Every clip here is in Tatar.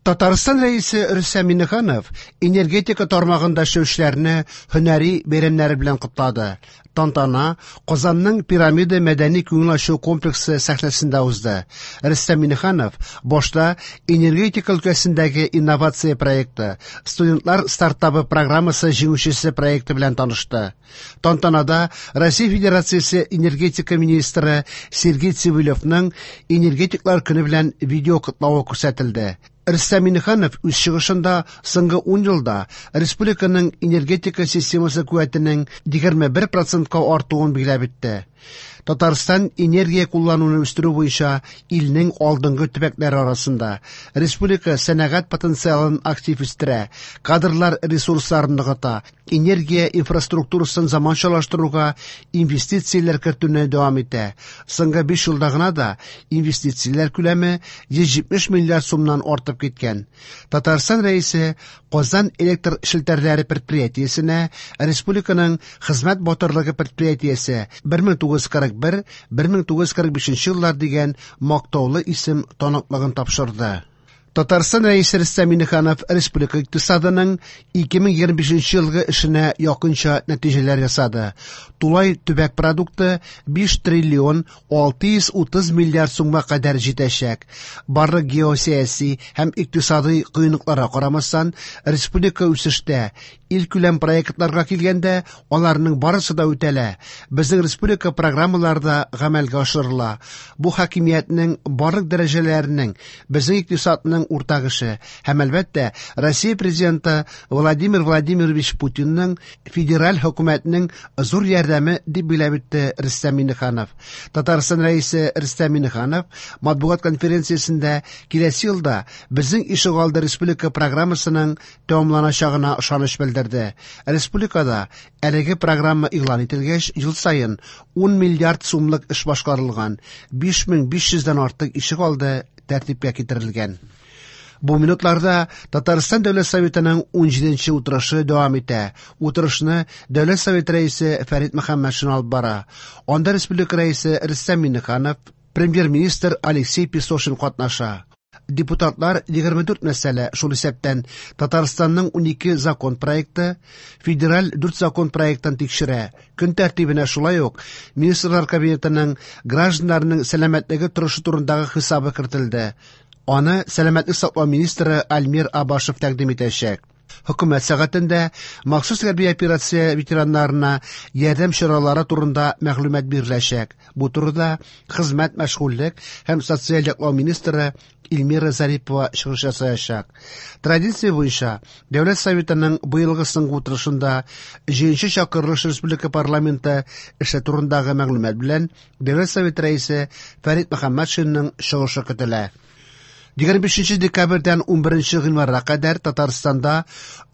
Татарстан Рәисе Рөстәм Миңнеханов энергетика тармагында эшләүчеләрне һөнәри бәйрәмнәре белән котлады. Тантана Казанның Пирамида мәдәни күңел ачу комплексы сәхнәсендә узды. Рөстәм Миңнеханов башта энергетика өлкәсендәге инновация проекты, студентлар стартабы программасы җиңүчесе проекты белән танышты. Тантанада Россия Федерациясе энергетика министры Сергей Цивилевның энергетиклар көне белән видео котлавы күрсәтелде. Рөстәм Миңнеханов үз чыгышында соңгы 10 елда республиканың энергетика системасы куәтенең 21%ка артуын билгеләп үтте. Татарстан энергия куллануны үстерү буенча илнең алдынгы төбәкләре арасында. Республика сәнәгать потенциалын актив үстерә, кадрлар ресурсларын ныгыта, энергия инфраструктурасын заманчалаштыруга инвестицияләр кертүне дәвам итә. Соңгы 5 елда гына да инвестицияләр күләме 170 миллиард сумнан артып киткән. Татарстан Рәисе Казан электр челтәрләре предприятиесенә республиканың хезмәт батырлыгы предприятиесе 1941-1945 еллар дигән мактаулы исем таныклыгын тапшырды. Татарстан Рәисе Рөстәм Миңнеханов республика икътисадының 2025 елгы эшенә якынча нәтиҗәләр ясады. Тулай төбәк продукты 5 триллион 630 миллиард сумга кадәр җитәчәк. Барлык геосәяси һәм икътисадый кыенлыкларга карамастан, республика үсештә. Илкүләм проектларга килгәндә, аларның барысы да үтәлә. Безнең республика программалары да гамәлгә ашырыла. Бу хакимиятнең барлык дәрәҗәләренең, безнең икътисадның уртак эше һәм әлбәттә Россия президенты Владимир Владимирович Путинның, федераль хөкүмәтнең зур ярдәме дип билгеләп үтте Рөстәм Миңнеханов. Татарстан Рәисе Рөстәм Миңнеханов матбугат конференциясендә киләсе елда Безнең ишегалды республика программасының тәмамланачагына ышаныч белдерде. Республикада әлеге программа игълан ителгәч, ел саен 10 миллиард сумлык эш башкарылган, 5500 дән артык ишегалды тәртипкә китерелгән. Бу минутларда Татарстан Дәүләт Советының 17нче утырышы дәвам итә. Утырышны Дәүләт Советы рәисе Фәрит Мөхәммәтшин алып бара. Анда республика рәисе Рөстәм Миңнеханов, премьер-министр Алексей Песошин катнаша. Депутатлар 24 мәсьәлә, шул исәптән Татарстанның 12 закон проекты, федераль 4 закон проектын тикшерә. Көн тәртибенә шулай ук Министрлар Кабинетының гражданнарның сәламәтлеге торышы турындагы хисабы кертелде. Аны сәламәтлек саклау министры Альмир Абашев тәкъдим итәчәк. Хөкүмәт сәгатендә махсус хәрби операция ветераннарына ярдәм чаралары турында мәгълүмат биреләчәк. Бу турыда хезмәт, мәшгульлек һәм социаль яклау министры Эльмира Зарипова чыгыш ясаячак. Традиция буенча, Дәүләт Советының быелгы соңгы утырышында җыенчы чакырылыш республика парламенты эше турындагы мәгълүмат белән Дәүләт Советы рәисе Фәрит Мөхәммәтшинның чыгышы көтелә. 25 декабрьдән 11 гыйнварга кадәр Татарстанда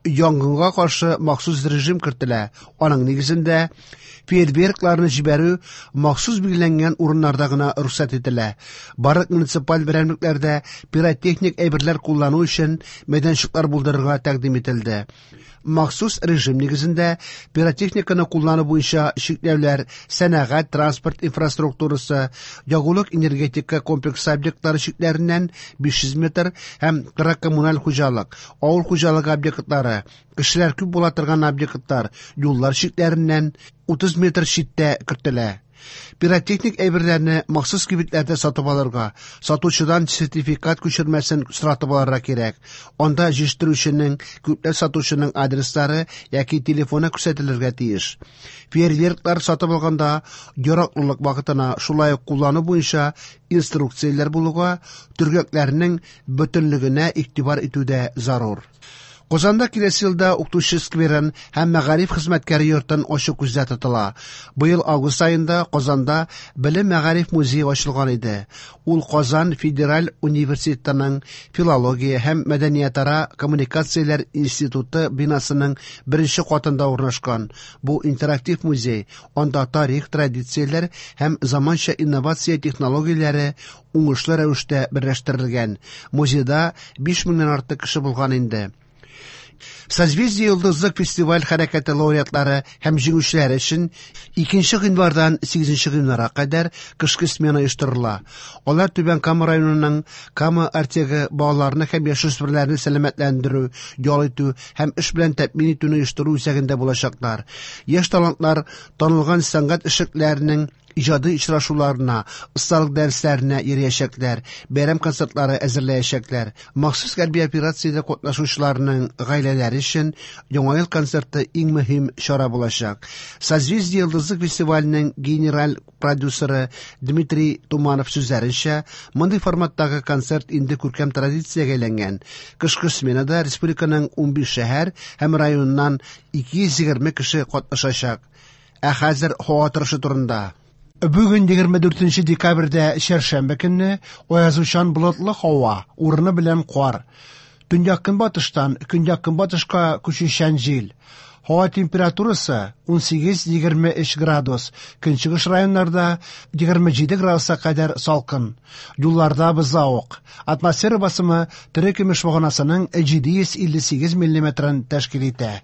янгынга каршы махсус режим кертелә. Аның нигезендә фейерверкларны җибәрү махсус билгеләнгән урыннарда гына рөхсәт ителә. Барлык муниципаль берәмлекләрдә пиротехник әйберләр куллану өчен мәйданчыклар булдырырга тәкъдим ителде. Махсус режим нигезендә пиротехниканы куллану буенча чикләүләр сәнәгать, транспорт инфраструктурасы, ягулык-энергетика комплексы объектлары чикләреннән 500 метр һәм торак-коммуналь хуҗалык, авыл хуҗалыгы объектлары, кешеләр күп була торган объектлар, юллар чикләреннән 30 метр читтә кертелә. Пиротехник әйберләрне махсус кибетләрдә сатып алырга, сатучыдан сертификат күчермәсен соратып алырга кирәк. Анда җитештерүченең, күпләп сатучының адреслары яки телефоны күрсәтелергә тиеш. Фейерверклар сатып алганда яраклылык вакытына, шулай ук куллану буенча инструкцияләр булуга, төргәкләрнең бөтенлегенә игътибар итү дә зарур. Казанда киләсе елда укытучы скверын һәм мәгариф хезмәткәре йортын ачу күздә тотыла. Быел август аенда Казанда Белем-мәгариф музее ачылган иде. Ул Казан федераль университетының Филология һәм мәдәниятара коммуникацияләр институты бинасының беренче катында урнашкан. Бу интерактив музей, анда тарих, традицияләр һәм заманча инновация технологияләре уңышлы рәвештә берләштерелгән. Музейда 5 меңнән артык кеше булган инде. Созвездие-Йолдызлык фестиваль хәрәкәте лауреатлары һәм җиңүчеләре өчен 2 гыйнвардан 8 гыйнварга кадәр кышкы смена оештырыла. Алар Түбән Кама районының Кама Артегы балаларны һәм яшүсмерләрне сәламәтләндерү, ял итү һәм эш белән тәэмин итүне оештыру үзәгендә булачаклар. Яшь талантлар танылган сәнгать эшлекләренең иҗади очрашуларына, осталык дәресләренә йөриячәкләр, бәйрәм концертлары әзерләячәкләр. Махсус хәрби операциядә катнашучыларның гаиләләре өчен Яңа ел концерты иң мөһим чара булачак. Созвездие-Йолдызлык фестиваленең генераль продюсеры Дмитрий Туманов сүзләренчә, мондый форматтагы концерт инде күркәм традициягә әйләнгән. Кышкы сменада республиканың 15 шәһәр һәм районыннан 220 кеше катнашачак. Ә хәзер һава торышы турында. Бүген 24 декабрьдә чәршәмбе көнне аязучан болытлы һава, урыны белән кар. Төньяк-көнбатыштан көньяк-көнбатышка күчүчән җил. Һава температурасы 18-23 градус, көнчыгыш районнарда 27 градуска кадәр салкын. Юлларда бозлавык. Атмосфера басымы терекөмеш баганасының 758 миллиметрын тәшкил итә.